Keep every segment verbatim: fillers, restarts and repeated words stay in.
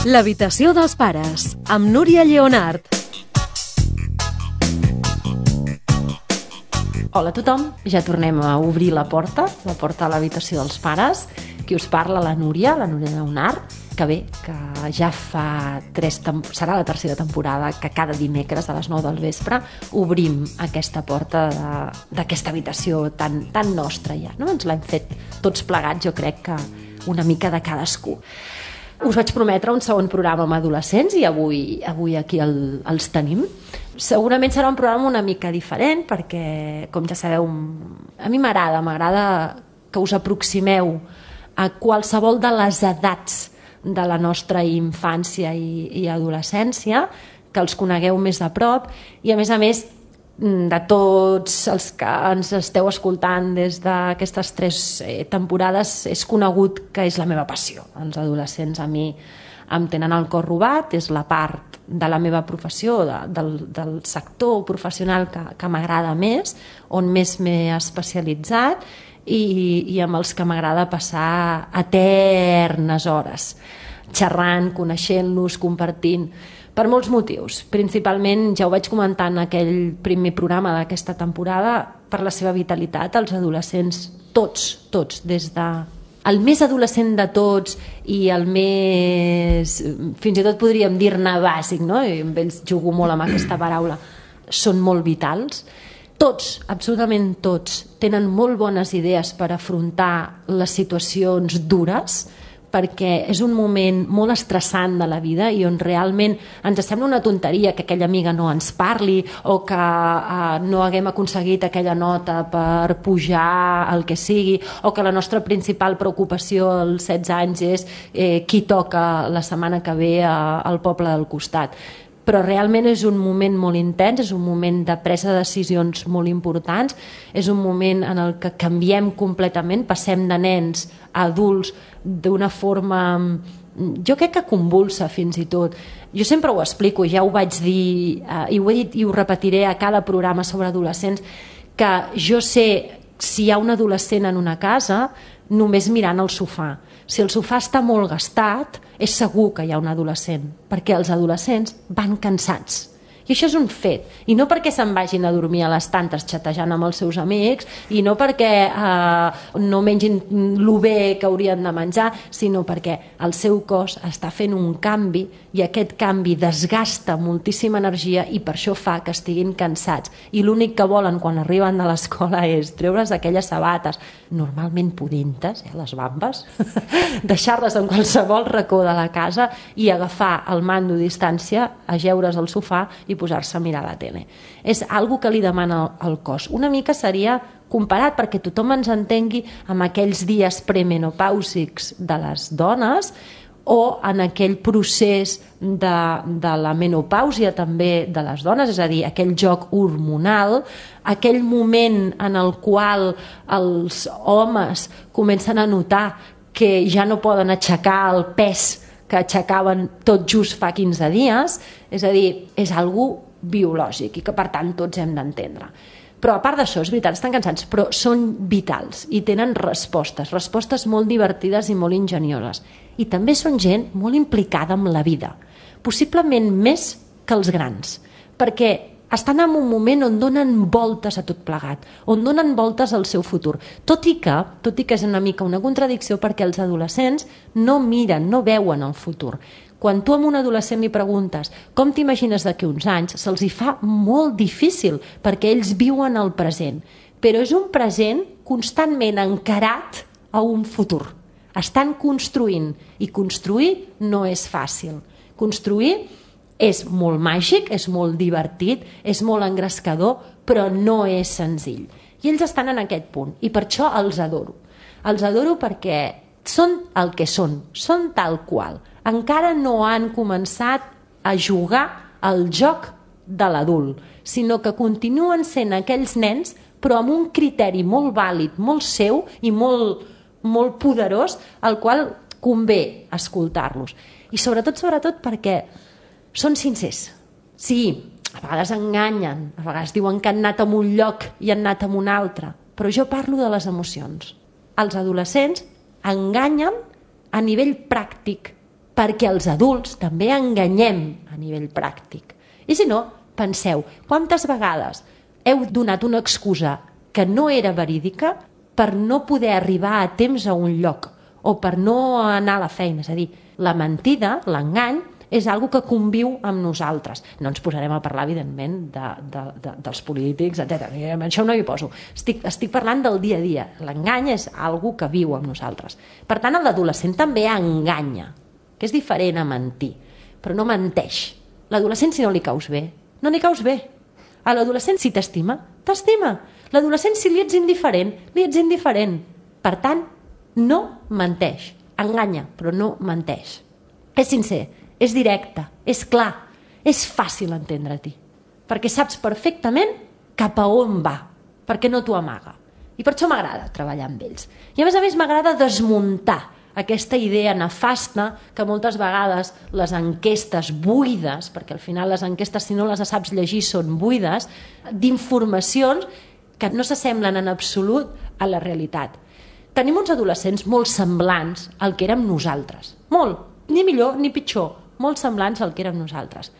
L'habitació dels pares, amb Núria Lleonart. Hola a tothom, ja tornem a obrir la porta, la porta a l'habitació dels pares. Qui us parla, la Núria, la Núria Lleonart, que bé, que ja fa tres tem- serà la tercera temporada que cada dimecres a les nou del vespre obrim aquesta porta de- d'aquesta habitació tan, tan nostra ja, no? Ens l'hem fet tots plegats, jo crec que una mica de cadascú. Us vaig prometre un segon programa amb adolescents i avui, avui aquí el, els tenim. Segurament serà un programa una mica diferent perquè, com ja sabeu, a mi m'agrada, m'agrada que us aproximeu a qualsevol de les edats de la nostra infància i, i adolescència, que els conegueu més de prop i, a més a més, de tots els que ens esteu escoltant des d'aquestes tres eh, temporades, és conegut que és la meva passió. Els adolescents a mi em tenen el cor robat, és la part de la meva professió, de, del, del sector professional que, que m'agrada més, on més m'he especialitzat i, i amb els que m'agrada passar eternes hores, xerrant, coneixent-los, compartint, per molts motius. Principalment, ja ho vaig comentar en aquell primer programa d'aquesta temporada, per la seva vitalitat, els adolescents, tots, tots, des de el més adolescent de tots i el més, fins i tot podríem dir-ne bàsic, no? I amb ells jugo molt amb aquesta paraula, són molt vitals. Tots, absolutament tots, tenen molt bones idees per afrontar les situacions dures, perquè és un moment molt estressant de la vida i on realment ens sembla una tonteria que aquella amiga no ens parli o que eh, no haguem aconseguit aquella nota per pujar el que sigui, o que la nostra principal preocupació als setze anys és eh, qui toca la setmana que ve a, al poble del costat. Però realment és un moment molt intens, és un moment de presa de decisions molt importants, és un moment en el que canviem completament, passem de nens a adults d'una forma, jo crec que convulsa fins i tot. Jo sempre ho explico, ja ho vaig dir, eh, i ho he dit i ho repetiré a cada programa sobre adolescents, que jo sé si hi ha un adolescent en una casa només mirant el sofà. Si el sofà està molt gastat, és segur que hi ha un adolescent, perquè els adolescents van cansats. I això és un fet. I no perquè se'n vagin a dormir a les tantes xatejant amb els seus amics, i no perquè eh, no mengin lo bé que haurien de menjar, sinó perquè el seu cos està fent un canvi i aquest canvi desgasta moltíssima energia i per això fa que estiguin cansats. I l'únic que volen quan arriben de l'escola és treure's aquelles sabates, normalment pudentes, eh, les bambes, deixar-les en qualsevol racó de la casa i agafar el mando a distància, ajeure's al sofà i posar-se a mirar la tele. És algo que li demana el cos. Una mica seria comparat, perquè tothom ens entengui, amb aquells dies premenopàusics de les dones o en aquell procés de, de la menopàusia també de les dones, és a dir, aquell joc hormonal, aquell moment en el qual els homes comencen a notar que ja no poden aixecar el pes que aixecaven tot just fa quinze dies, és a dir, és algo biològic i que per tant tots hem d'entendre. Però a part d'això, és veritat, estan cansats, però són vitals i tenen respostes, respostes molt divertides i molt ingenioses. I també són gent molt implicada amb la vida, possiblement més que els grans, perquè estan en un moment on donen voltes a tot plegat, on donen voltes al seu futur. Tot i que, tot i que és una mica una contradicció, perquè els adolescents no miren, no veuen el futur. Quan tu a un adolescent li preguntes com t'imagines d'aquí uns anys, se'ls hi fa molt difícil, perquè ells viuen el present. Però és un present constantment encarat a un futur. Estan construint, i construir no és fàcil. Construir és molt màgic, és molt divertit, és molt engrescador, però no és senzill. I ells estan en aquest punt, i per això els adoro. Els adoro perquè són el que són, són tal qual. Encara no han començat a jugar al joc de l'adult, sinó que continuen sent aquells nens, però amb un criteri molt vàlid, molt seu i molt, molt poderós, al qual convé escoltar-los. I sobretot, sobretot perquè són sincers. Sí, a vegades enganyen, a vegades diuen que han anat a un lloc i han anat a un altre, però jo parlo de les emocions. Els adolescents enganyen a nivell pràctic, perquè els adults també enganyem a nivell pràctic. I si no, penseu, quantes vegades heu donat una excusa que no era verídica per no poder arribar a temps a un lloc o per no anar a la feina. És a dir, la mentida, l'engany, és algo que conviu amb nosaltres. No ens posarem a parlar, evidentment, de, de, de, dels polítics, etcètera. Això no hi poso. Estic, estic parlant del dia a dia. L'engany és algo que viu amb nosaltres. Per tant, l'adolescent també enganya, que és diferent a mentir, però no menteix. L'adolescent, si no li caus bé, no li caus bé. A l'adolescent, si t'estima, t'estima. L'adolescent, si li ets indiferent, li ets indiferent. Per tant, no menteix. Enganya, però no menteix. És sincer, és directe, és clar, és fàcil entendre-t'hi. Perquè saps perfectament cap a on va, perquè no t'ho amaga. I per això m'agrada treballar amb ells. I a més a més m'agrada desmuntar aquesta idea nefasta que moltes vegades les enquestes buides, perquè al final les enquestes, si no les saps llegir, són buides, d'informacions que no s'assemblen en absolut a la realitat. Tenim uns adolescents molt semblants al que érem nosaltres. Molt, ni millor ni pitjor, molt semblants al que érem nosaltres.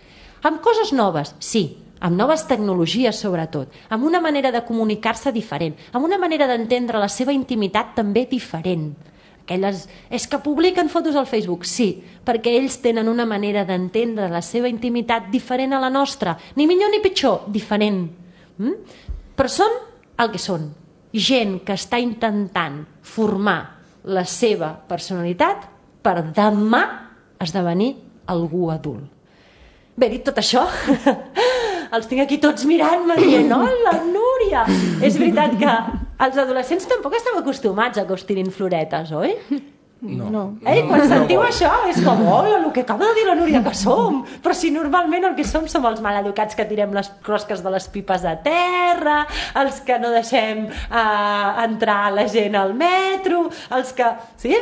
Amb coses noves, sí, amb noves tecnologies sobretot, amb una manera de comunicar-se diferent, amb una manera d'entendre la seva intimitat també diferent. Aquelles, és que publiquen fotos al Facebook, sí, perquè ells tenen una manera d'entendre la seva intimitat diferent a la nostra, ni millor ni pitjor, diferent. Mm? Però són el que són, gent que està intentant formar la seva personalitat per demà esdevenir algú adult. Bé, dit tot això, els tinc aquí tots mirant-me dient, hola, Núria! És veritat que els adolescents tampoc estem acostumats a que us tirin floretes, oi? No. Eh? Quan sentiu això és com, hola, el que acaba de dir la Núria que som, però si normalment el que som som els maleducats que tirem les closques de les pipes a terra, els que no deixem eh, entrar la gent al metro, els que... Sí,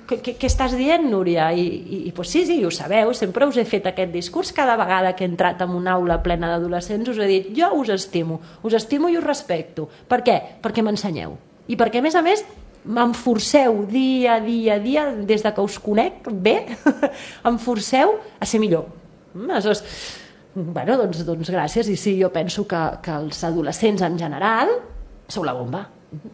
què, què, què estàs dient, Núria? I, i, i pues sí, sí, ho sabeu, sempre us he fet aquest discurs cada vegada que he entrat en una aula plena d'adolescents, us he dit, jo us estimo, us estimo i us respecto. Per què? Perquè m'ensenyeu. I perquè, a més a més, em forceu dia a dia a dia, des de que us conec bé, em forceu a ser millor. Aleshores, bueno, doncs, doncs gràcies. I sí, jo penso que, que els adolescents en general sou la bomba.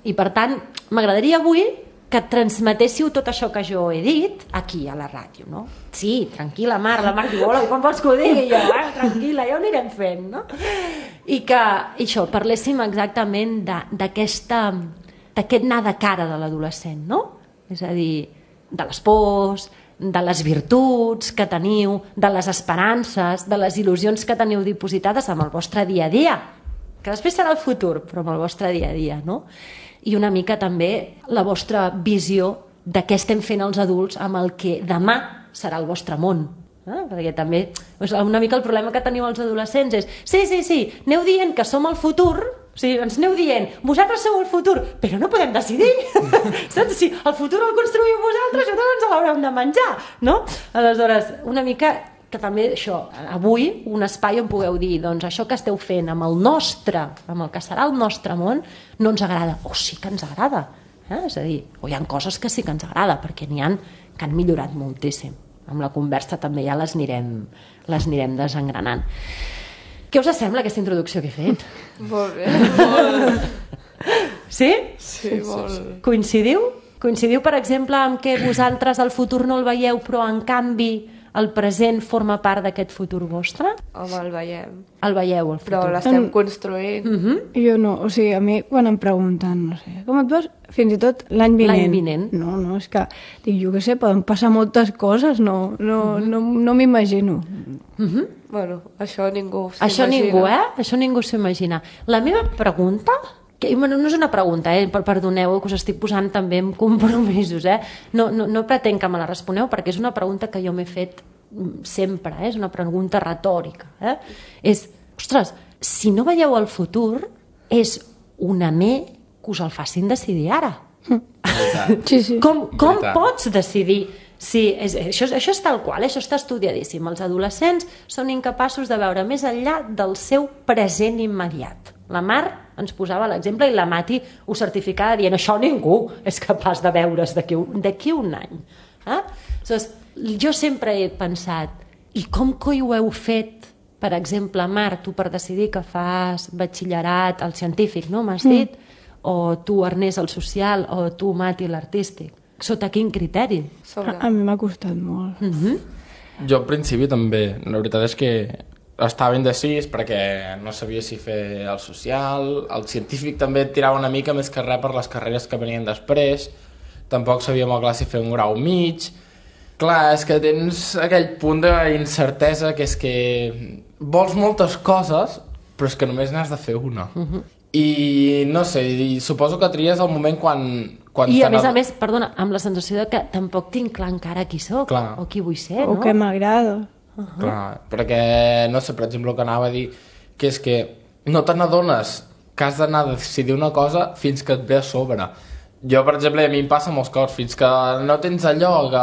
I per tant, m'agradaria avui que transmetéssiu tot això que jo he dit aquí a la ràdio, no? Sí, tranquil·la, Mar, la Mar diu, hola, i quan vols que ho digui? Jo, eh, tranquil·la, ja ho anirem fent, no? I que, i això, parléssim exactament d'aquesta... d'aquest anar de cara de l'adolescent, no? És a dir, de les pors, de les virtuts que teniu, de les esperances, de les il·lusions que teniu dipositades amb el vostre dia a dia, que després serà el futur, però amb el vostre dia a dia, no? I una mica també la vostra visió de què estem fent els adults amb el que demà serà el vostre món. Eh? Perquè també una mica el problema que teniu els adolescents és sí, sí, sí, aneu dient que som el futur, o sigui, ens aneu dient, vosaltres sou el futur, però no podem decidir. Saps? Si el futur el construïu vosaltres, nosaltres ens l'haurem de menjar, no? Aleshores, una mica que també això, avui, un espai on pugueu dir, doncs això que esteu fent amb el nostre, amb el que serà el nostre món, no ens agrada, o sí que ens agrada. Eh? És a dir, o hi ha coses que sí que ens agrada, perquè n'hi ha que han millorat moltíssim. Amb la conversa també ja les anirem, les anirem desengranant. Què us sembla aquesta introducció que he fet? Molt bé, molt. Sí? Sí, molt. Coincidiu? Coincidiu, per exemple, amb que vosaltres el futur no el veieu, però en canvi el present forma part d'aquest futur vostre? Home, el veiem. El veieu, el futur. Però l'estem construint. Uh-huh. Jo no, o sigui, a mi quan em pregunten, no sé, com et veus? Fins i tot l'any vinent. L'any vinent. No, no, és que, dic, jo què sé, poden passar moltes coses, no, no, uh-huh. no, no m'imagino. Uh-huh. Bueno, això ningú s'imagina. Això ningú, eh? Això ningú s'imagina. La meva pregunta, que bueno, no és una pregunta, eh? Perdoneu que us estic posant també en compromisos, eh? No, no, no pretenc que me la responeu perquè és una pregunta que jo m'he fet sempre, eh? És una pregunta retòrica. Eh? És, ostres, si no veieu el futur, és una me que us el facin decidir ara. Sí, sí. Com, com pots decidir? Sí, és, això, això és tal qual, això està estudiadíssim. Els adolescents són incapaços de veure més enllà del seu present immediat. La Mar ens posava l'exemple i la Mati ho certificava dient això ningú és capaç de veure's d'aquí un, d'aquí un any. Eh? Aleshores, jo sempre he pensat, i com coi ho heu fet? Per exemple, Marc, tu per decidir que fas batxillerat al científic, no m'has dit? Mm. O tu, Ernest, el social, o tu, Mati, l'artístic. Sota quin criteri? Sobre. A, a mi m'ha costat molt. Mm-hmm. Jo al principi també, la veritat és que estava indecís perquè no sabia si fer el social, el científic també et tirava una mica més que res per les carreres que venien després, tampoc sabia molt clar si fer un grau mig. Clar, és que tens aquell punt d'incertesa que és que vols moltes coses, però és que només n'has de fer una. Uh-huh. I no sé, i suposo que tries el moment quan... quan I a més a més, perdona, amb la sensació de que tampoc tinc clar encara qui sóc, clar. O qui vull ser, o no? O que m'agrada. Uh-huh. Clar, perquè, no sé, per exemple, el que anava a dir, que és que no te n'adones que has d'anar a decidir una cosa fins que et ve a sobre. Jo, per exemple, a mi em passa molts cops, fins que no tens allò que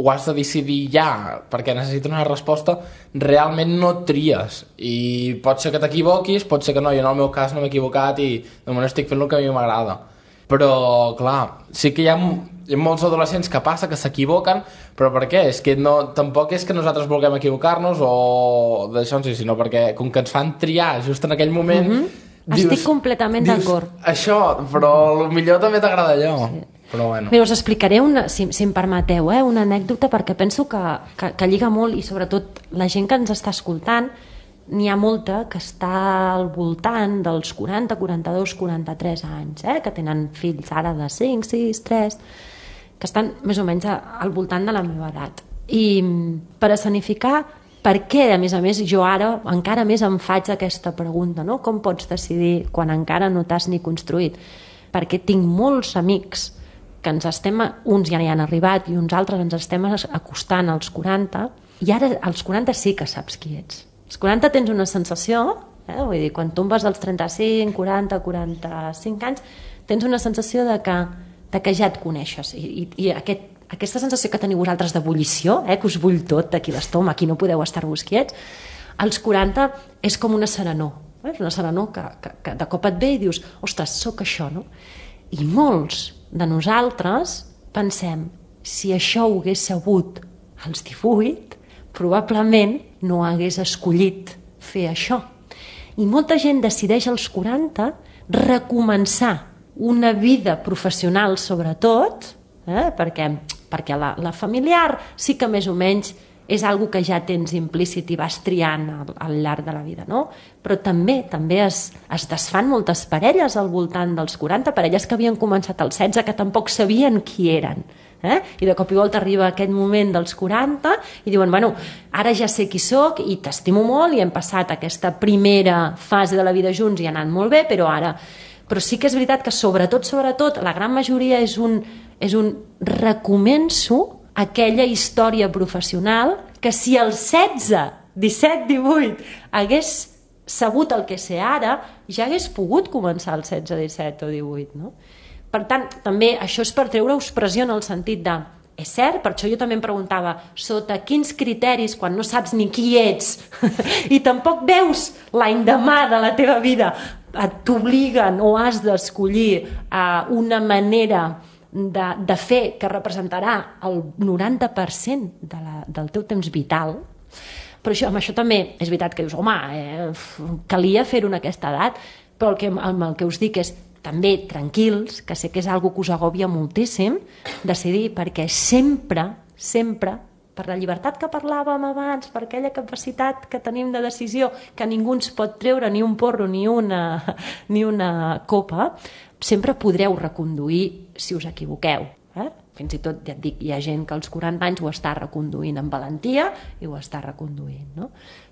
ho has de decidir ja, perquè necessites una resposta, realment no tries. I pot ser que t'equivoquis, pot ser que no, i en el meu cas no m'he equivocat i de moment estic fent el que a mi m'agrada. Però, clar, sí que hi ha, hi ha molts adolescents que passa que s'equivoquen, però per què? És que no, tampoc és que nosaltres vulguem equivocar-nos o d'això, sinó perquè com que ens fan triar just en aquell moment... Mm-hmm. Dius, estic completament d'acord. Això, però potser també t'agrada allò. Sí. Però bueno. Bé, us explicaré, una, si, si em permeteu, eh, una anècdota, perquè penso que, que, que lliga molt, i sobretot la gent que ens està escoltant, n'hi ha molta que està al voltant dels quaranta, quaranta-dos, quaranta-tres anys, eh, que tenen fills ara de cinc, sis, tres, que estan més o menys al voltant de la meva edat. I per escenificar per què, a més a més, jo ara encara més em faig aquesta pregunta, no? Com pots decidir quan encara no t'has ni construït? Perquè tinc molts amics que ens estem, uns ja hi han arribat i uns altres ens estem acostant als quaranta, i ara als quaranta sí que saps qui ets. Als quaranta tens una sensació, eh? Vull dir, quan tombes als trenta-cinc, quaranta, quaranta-cinc anys, tens una sensació de que, de que ja et coneixes, i, i, i aquest aquesta sensació que teniu vosaltres d'ebullició, eh, que us bull tot d'aquí l'estómac, aquí no podeu estar-vos quiets, als quaranta és com una serenor, eh? És una serenor que, que, que de cop et ve i dius, ostres, sóc això, no? I molts de nosaltres pensem, si això ho hagués sabut als divuit, probablement no hagués escollit fer això. I molta gent decideix als quaranta recomençar una vida professional, sobretot, eh? perquè perquè la, la familiar sí que més o menys és algo que ja tens implícit i vas triant al, al llarg de la vida, no? Però també també es, es desfan moltes parelles al voltant dels quaranta, parelles que havien començat als setze, que tampoc sabien qui eren, eh? I de cop i volta arriba aquest moment dels quaranta i diuen, bueno, ara ja sé qui sóc i t'estimo molt i hem passat aquesta primera fase de la vida junts i ha anat molt bé, però ara... Però sí que és veritat que sobretot, sobretot, la gran majoria és un, és un recomenço aquella història professional que si als setze, disset, divuit hagués sabut el que sé ara, ja hagués pogut començar als setze, disset o divuit, no? Per tant, també això és per treure-us pressió en el sentit de, és cert, per això jo també em preguntava sota quins criteris, quan no saps ni qui ets i tampoc veus l'any demà de la teva vida, t'obliguen o has d'escollir uh, una manera de, de fer que representarà el noranta per cent de la, del teu temps vital. Però això, amb això també és veritat que dius, home, eh, calia fer-ho en aquesta edat, però el que, amb el que us dic és també tranquils, que sé que és algo que us agòbia moltíssim, decidir, perquè sempre, sempre, per la llibertat que parlàvem abans, per aquella capacitat que tenim de decisió, que ningú ens pot treure ni un porro ni una, ni una copa, sempre podreu reconduir si us equivoqueu. Eh? Fins i tot, ja et dic, hi ha gent que als quaranta anys ho està reconduint amb valentia i ho està reconduint, no?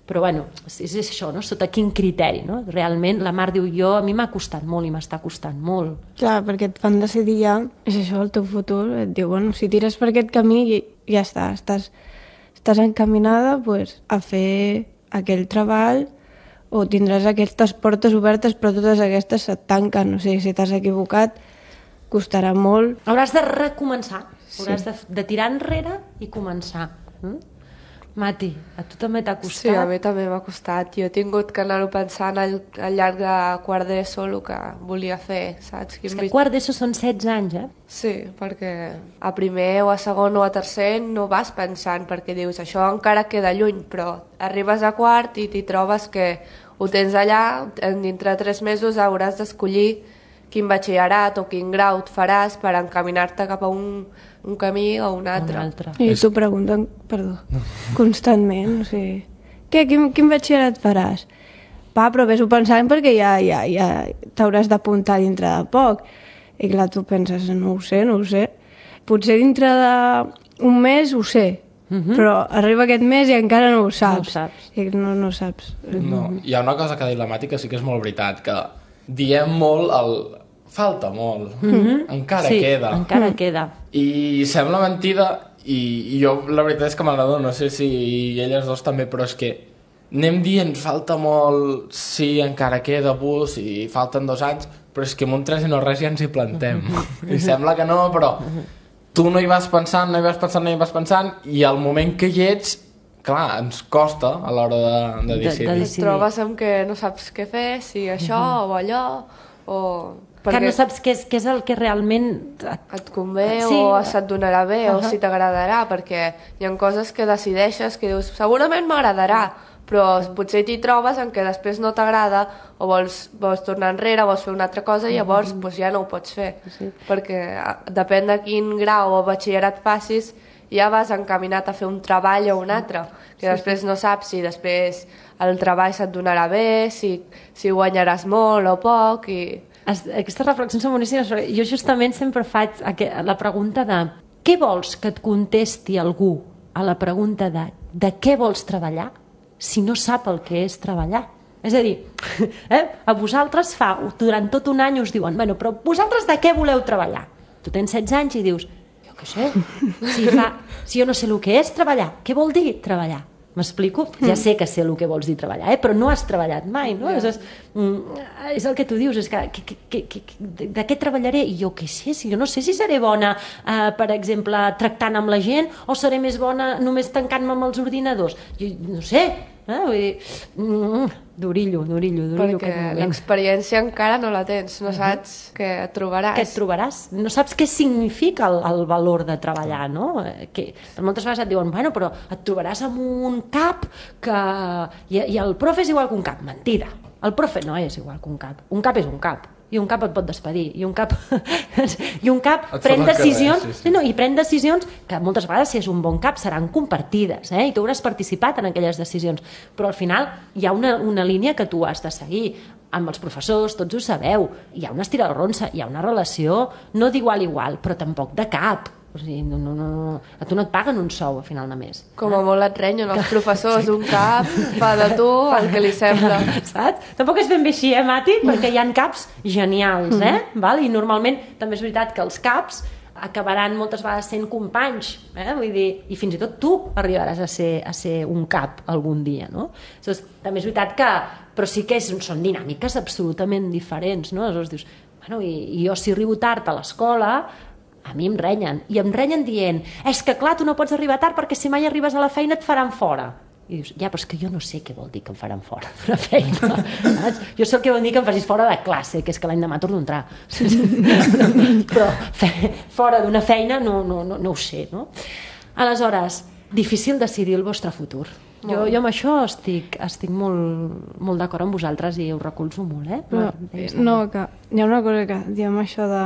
Però bueno, és això, no? Sota quin criteri, no? Realment, la Mar diu, jo, a mi m'ha costat molt i m'està costant molt. Clar, perquè et fan decidir ja, és això el teu futur, et diu, bueno, si tires per aquest camí ja està, estàs, estàs encaminada pues, a fer aquell treball o tindràs aquestes portes obertes però totes aquestes se't tanquen, o sigui, si t'has equivocat costarà molt. Hauràs de recomençar, hauràs sí. de, de tirar enrere i començar. Mm? Mati, a tu també t'ha costat? Sí, a mi també m'ha costat. Jo he tingut que anar-ho pensant al, al llarg de quart d'ESO el que volia fer, saps? És que quart d'ESO són setze anys, eh? Sí, perquè a primer o a segon o a tercer no vas pensant, perquè dius, això encara queda lluny, però arribes a quart i t'hi trobes que ho tens allà, dintre de tres mesos hauràs d'escollir quin batxillerat o quin grau et faràs per encaminar-te cap a un, un camí o un altre. Un altre. I t'ho pregunten, perdó, constantment, o sigui, què, quin, quin batxillerat faràs? Va, però vés-ho pensant perquè ja, ja, ja t'hauràs d'apuntar dintre de poc. I clar, tu penses, no ho sé, no ho sé. Potser dintre d'un mes ho sé, uh-huh. però arriba aquest mes i encara no ho saps. No ho saps. I no, no ho saps. No, hi ha una cosa que ha dit la Mati que sí que és molt veritat, que diem molt el... falta molt, mm-hmm. encara sí, queda. encara queda. I sembla mentida, i, i jo la veritat és que m'agrada, no sé si elles dos també, però és que anem dient falta molt, sí, encara queda bus i falten dos anys, però és que amb un tres i no res ja ens hi plantem. I sembla que no, però tu no hi vas pensant, no hi vas pensant, no hi vas pensant, i al moment que hi ets, clar, ens costa a l'hora de, de decidir. De, de Et trobes amb que no saps què fer, si això uh-huh. o allò, o... Que no saps què és, què és el que realment... Et, et convé sí. o se't donarà bé uh-huh. o si t'agradarà, perquè hi ha coses que decideixes que dius, segurament m'agradarà, però potser t'hi trobes en què després no t'agrada o vols, vols tornar enrere, vols fer una altra cosa i llavors uh-huh. pues, ja no ho pots fer, sí. perquè depèn de quin grau o batxillerat facis, ja vas encaminat a fer un treball o un altre, que sí, després no saps si després el treball se't donarà bé, si, si guanyaràs molt o poc. I... Aquestes reflexions són boníssimes, perquè jo justament sempre faig la pregunta de què vols que et contesti algú a la pregunta de de què vols treballar si no sap el que és treballar. És a dir, eh, a vosaltres fa, durant tot un any us diuen, bueno, però vosaltres de què voleu treballar? Tu tens setze anys i dius, què sé, si, fa, si jo no sé el que és treballar, què vol dir treballar? M'explico? Ja sé que sé el que vols dir treballar, eh? Però no has treballat mai, no? Yeah. És, és el que tu dius, és que, que, que, que, que de què treballaré? I jo què sé, si jo no sé si seré bona, eh, per exemple, tractant amb la gent, o seré més bona només tancant-me amb els ordinadors. Jo no sé, eh? Vull dir, mm, d'orillo, d'orillo, d'orillo. Perquè l'experiència encara no la tens, no saps uh-huh. què et trobaràs. Què et trobaràs? No saps què significa el, el valor de treballar, no? Que moltes vegades et diuen, bueno, però et trobaràs amb un cap que... I, i el profe és igual que un cap. Mentida. El profe no és igual que un cap. Un cap és un cap. I un cap et pot despedir, i un cap, i un cap pren decisions, carrer, sí, sí. No, i pren decisions que moltes vegades, si és un bon cap, seran compartides, eh? I tu hauràs participat en aquelles decisions, però al final hi ha una, una línia que tu has de seguir. Amb els professors, tots ho sabeu, hi ha una estirarronsa, hi ha una relació, no d'igual a igual, però tampoc de cap. O sigui, no, no, no, a tu no et paguen un sou a final de mes. Com a molt et renyen els professors, un cap fa de tu el que li sembla. Saps? Tampoc és ben bé així, eh, Mati? Perquè hi ha caps genials, eh? Mm. Val? I normalment també és veritat que els caps acabaran moltes vegades sent companys, eh? Vull dir, i fins i tot tu arribaràs a ser, a ser un cap algun dia, no? Aleshores, també és veritat que, però sí que és, són dinàmiques absolutament diferents, no? Aleshores dius, bueno, i, i jo si arribo tard a l'escola, a mi em renyen, i em renyen dient, és que clar, tu no pots arribar tard perquè si mai arribes a la feina et faran fora. I dius, ja, però és que jo no sé què vol dir que em faran fora d'una feina. Jo sé el que vol dir que em facis fora de classe, que és que l'any demà torno a entrar. Però fora d'una feina no, no, no, no ho sé, no? Aleshores, difícil decidir el vostre futur. Jo, jo amb això estic, estic molt, molt d'acord amb vosaltres i ho recolzo molt, eh? Però, no, que hi ha una cosa que diem això de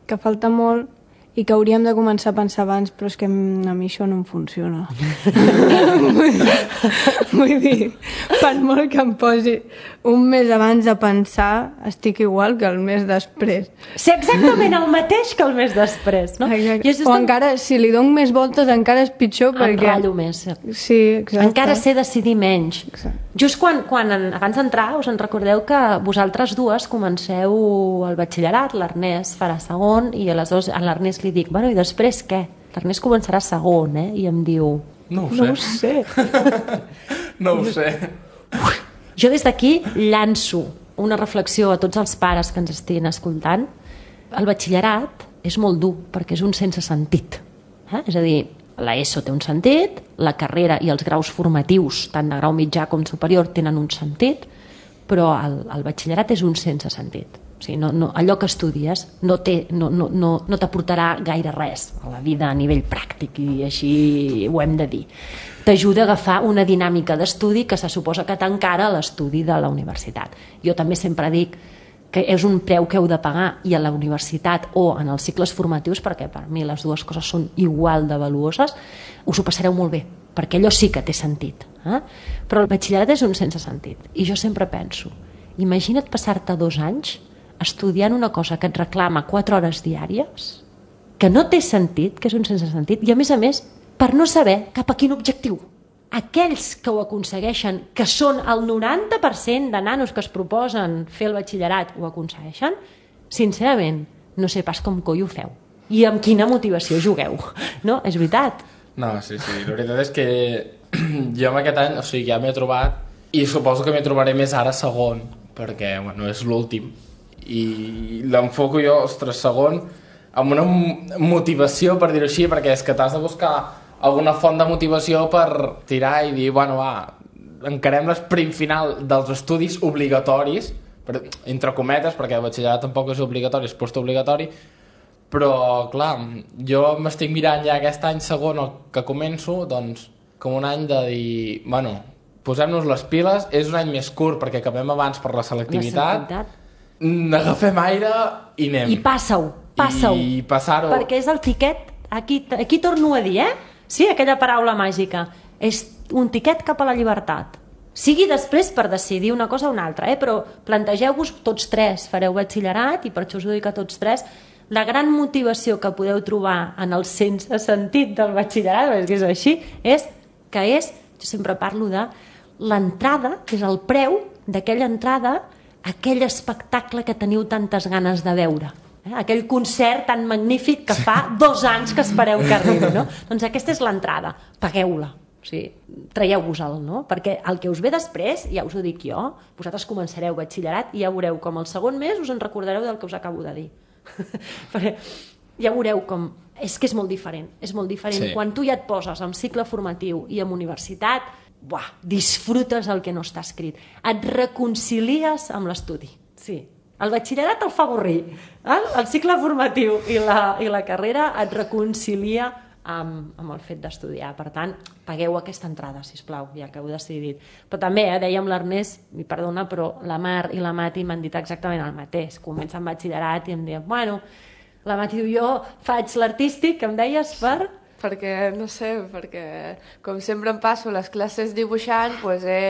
que falta molt i que hauríem de començar a pensar abans, però és que a mi això no em funciona. Vull dir, per molt que em posi un mes abans de pensar, estic igual que el mes després. Sí, exactament el mateix que el mes després, no? I o tan... encara, si li dono més voltes, encara és pitjor perquè... Enratllo més. Sí, exacte. Encara sé decidir menys. Exacte. Just quan, quan abans d'entrar, us en recordeu que vosaltres dues comenceu el batxillerat, l'Ernest farà segon, i aleshores a l'Ernest li dic, bueno, i després què? L'Ernest començarà segon, eh? I em diu... No ho sé. No ho sé. No ho sé. Jo des d'aquí llanço una reflexió a tots els pares que ens estiguin escoltant. El batxillerat és molt dur perquè és un sense sentit. Eh? És a dir, l'ESO té un sentit, la carrera i els graus formatius, tant de grau mitjà com superior, tenen un sentit, però el, el batxillerat és un sense sentit. O sigui, no, no, allò que estudies no, té, no, no, no, no t'aportarà gaire res a la vida a nivell pràctic, i així ho hem de dir. T'ajuda a agafar una dinàmica d'estudi que se suposa que t'encara a l'estudi de la universitat. Jo també sempre dic que és un preu que heu de pagar, i a la universitat o en els cicles formatius, perquè per mi les dues coses són igual de valuoses, us ho passareu molt bé, perquè allò sí que té sentit. Eh? Però el batxillerat és un sense sentit. I jo sempre penso, imagina't passar-te dos anys estudiant una cosa que et reclama quatre hores diàries, que no té sentit, que és un sense sentit, i a més a més, per no saber cap a quin objectiu. Aquells que ho aconsegueixen, que són el noranta per cent de nanos que es proposen fer el batxillerat, ho aconsegueixen, sincerament, no sé pas com coi ho feu. I amb quina motivació jugueu. No? És veritat. No, sí, sí. La veritat és que jo en aquest any, o sigui, ja m'he trobat, i suposo que m'hi trobaré més ara segon, perquè, bueno, és l'últim. I l'enfoco jo, ostres, segon, amb una motivació, per dir-ho així, perquè és que t'has de buscar alguna font de motivació per tirar i dir, bueno, va, encarem l'esprint final dels estudis obligatoris, per, entre cometes, perquè el batxillerat tampoc és obligatori, és postobligatori, però, clar, jo m'estic mirant ja aquest any segon que començo, doncs, com un any de dir, bueno, posem-nos les piles, és un any més curt perquè acabem abans per la selectivitat, la selectivitat. Agafem aire i anem. I passa-ho, passa-ho. I passar-ho. Perquè és el tiquet, aquí, aquí torno a dir, eh? Sí, aquella paraula màgica. És un tiquet cap a la llibertat. Sigui després per decidir una cosa o una altra, eh? Però plantegeu-vos tots tres, fareu batxillerat, i per això us ho dic a tots tres, la gran motivació que podeu trobar en el sense sentit del batxillerat, perquè és així, és que és, jo sempre parlo de l'entrada, que és el preu d'aquella entrada, aquell espectacle que teniu tantes ganes de veure. Eh? Aquell concert tan magnífic que fa dos anys que espereu que arribi, no? Doncs aquesta és l'entrada, pagueu-la, o sigui, traieu-vos-el, no? Perquè el que us ve després, ja us ho dic jo, vosaltres començareu batxillerat i ja veureu com el segon mes us en recordareu del que us acabo de dir. Perquè ja veureu com... És que és molt diferent, és molt diferent. Sí. Quan tu ja et poses en cicle formatiu i en universitat, buah, disfrutes el que no està escrit. Et reconcilies amb l'estudi, sí. El batxillerat el fa avorrir, eh? El cicle formatiu i la, i la carrera et reconcilia amb, amb el fet d'estudiar. Per tant, pagueu aquesta entrada, sisplau, ja que heu decidit. Però també, eh, dèiem l'Ernest, mi perdona, però la Mar i la Mati m'han dit exactament el mateix. Comença amb batxillerat i em diuen, bueno, la Mati diu, jo faig l'artístic, que em deies, per... Perquè, no sé, perquè com sempre em passo les classes dibuixant, doncs he...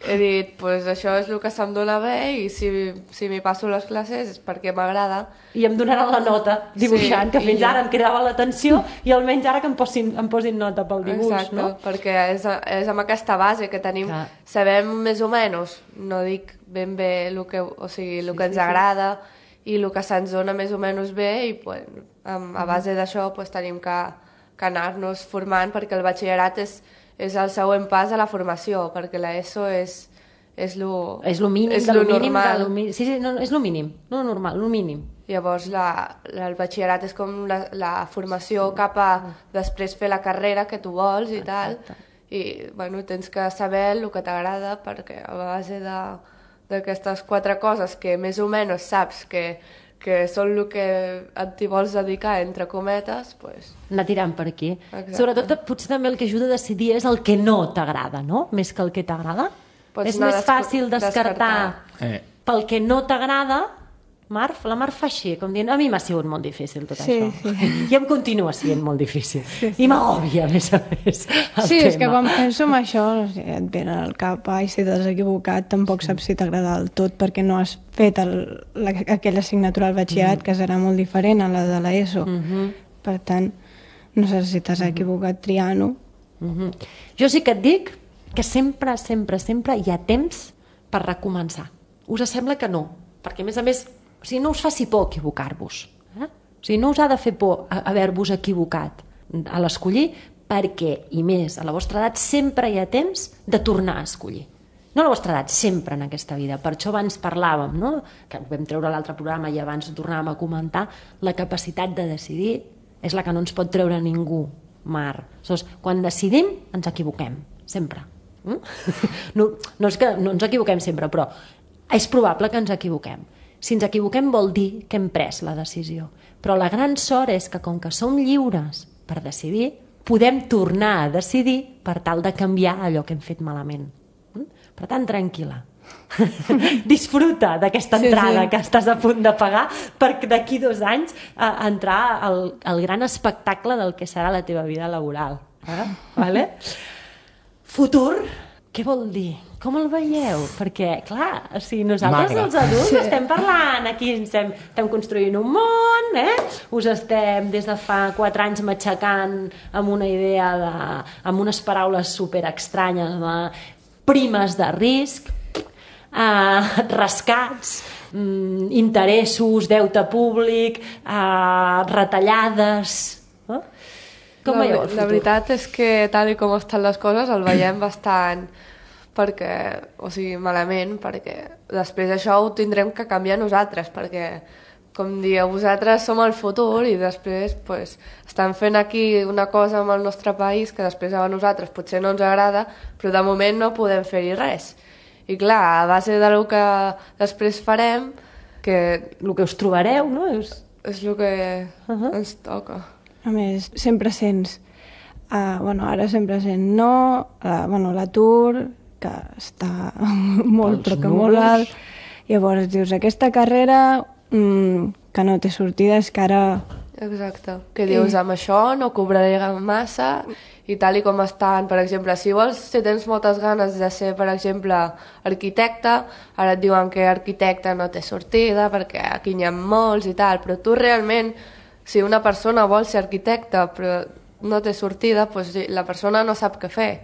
he dit, pues això és el que se'm dona bé, i si, si m'hi passo les classes és perquè m'agrada. I em donaran la nota dibuixant, sí, que fins ara em cridava l'atenció, i almenys ara que em posin, em posin nota pel dibuix. Exacte, no? Perquè és, és amb aquesta base que tenim, clar. Sabem més o menys, no dic ben bé el que, o sigui, el sí, que ens sí, agrada sí. I el que se'ns dona més o menys bé, i pues, a base d'això pues, tenim que, que anar-nos formant, perquè el batxillerat és és el següent pas a la formació, perquè l'ESO és és lo, és lo mínim, és de lo lo mínim, normal. De lo mínim. Sí, sí, no, és lo mínim, no normal, lo mínim. Llavors la, la, el batxillerat és com la, la formació cap a després fer la carrera que tu vols i tal. I bueno, tens que saber el que t'agrada, perquè a base d'aquestes quatre coses que més o menys saps que que són el que t'hi vols dedicar, entre cometes, pues... anar tirant per aquí. Exacte. Sobretot, potser també el que ajuda a decidir és el que no t'agrada, no? Més que el que t'agrada. És més fàcil descartar, descartar. Eh. pel que no t'agrada. Mar, la Mar fa així, com dient, a mi m'ha sigut molt difícil tot sí, això. Sí. I em continua sent molt difícil. Sí, sí. I m'agòbia, a més a més, el sí, tema. És que quan penso en això, no sé, et ven al cap, ai, si t'has equivocat, tampoc sí. saps si t'agrada del tot, perquè no has fet el, la, aquella assignatura al batxillerat, mm. que serà molt diferent a la de l'ESO. Mm -hmm. Per tant, no sé si t'has equivocat triant-ho. Mm -hmm. Jo sí que et dic que sempre, sempre, sempre hi ha temps per recomençar. Us sembla que no? Perquè, a més a més, o sigui, no us faci por equivocar-vos. Eh? O sigui, no us ha de fer por haver-vos equivocat a l'escollir, perquè, i més, a la vostra edat sempre hi ha temps de tornar a escollir. No a la vostra edat, sempre en aquesta vida. Per això abans parlàvem, no? Que vam treure l'altre programa i abans tornàvem a comentar, la capacitat de decidir és la que no ens pot treure ningú Mar. Aleshores, quan decidim, ens equivoquem, sempre. Mm? No, no és que no ens equivoquem sempre, però és probable que ens equivoquem. Si ens equivoquem vol dir que hem pres la decisió. Però la gran sort és que com que som lliures per decidir, podem tornar a decidir per tal de canviar allò que hem fet malament. Mm? Per tant, tranquil·la. Disfruta d'aquesta entrada sí, sí. que estàs a punt de pagar per d'aquí dos anys a, a entrar al, al gran espectacle del que serà la teva vida laboral. Eh? Vale? Futur, què vol dir? Com el veieu? Perquè, clar, o sigui, nosaltres Magre. els adults Sí. estem parlant, aquí estem, estem construint un món, eh? Us estem des de fa quatre anys matxacant amb una idea de, amb unes paraules super estranyes de primes de risc, eh, rescats, mm, interessos, deute públic, eh, retallades... Eh? Com la, veieu el futur? La veritat és que tal i com estan les coses el veiem bastant perquè, o sigui, malament, perquè després això ho tindrem que canviar nosaltres, perquè, com dieu, vosaltres som el futur i després pues, estan fent aquí una cosa amb el nostre país que després a nosaltres potser no ens agrada, però de moment no podem fer-hi res. I clar, a base del que després farem, que El que us trobareu, no? És... és el que Uh -huh. ens toca. A més, sempre sents, uh, bueno, ara sempre sent no, uh, bueno, l'atur, que està molt, Els però que molt números. alt. Llavors dius, aquesta carrera mm, que no té sortida és que ara... Exacte. Que dius, amb això no cobraré massa i tal i com estan, per exemple, si vols, si tens moltes ganes de ser, per exemple, arquitecte, ara et diuen que arquitecte no té sortida perquè aquí n'hi ha molts i tal, però tu realment, si una persona vol ser arquitecte però no té sortida, doncs la persona no sap què fer.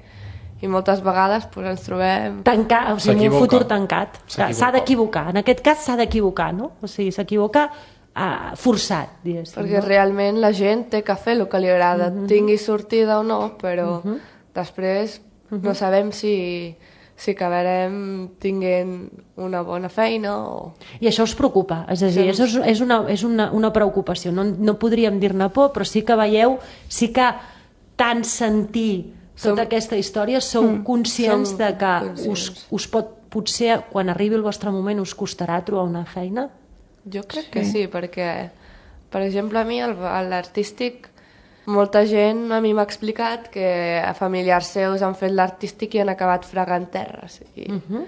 I moltes vegades doncs, ens trobem... Tancar, o sigui, un S'equivoca. futur tancat. S'equivoca. S'ha d'equivocar. En aquest cas s'ha d'equivocar, no? O sigui, s'equivoca uh, forçat, diguéssim. Perquè no? realment la gent té que fer el que li agrada, mm -hmm. tingui sortida o no, però mm -hmm. després mm -hmm. no sabem si, si acabarem tinguent una bona feina o... I això us preocupa, és a dir, Sí. això és, és, una, és una, una preocupació. No, no podríem dir-ne por, però sí que veieu, sí que tant sentir Som- tota aquesta història sou mm. conscients Som de que us, conscients. us pot, potser, quan arribi el vostre moment, us costarà trobar una feina? Jo crec que sí, perquè, per exemple, a mi, el- a l'artístic, molta gent a mi m'ha explicat que a familiars seus han fet l'artístic i han acabat fregant terres. I, uh -huh.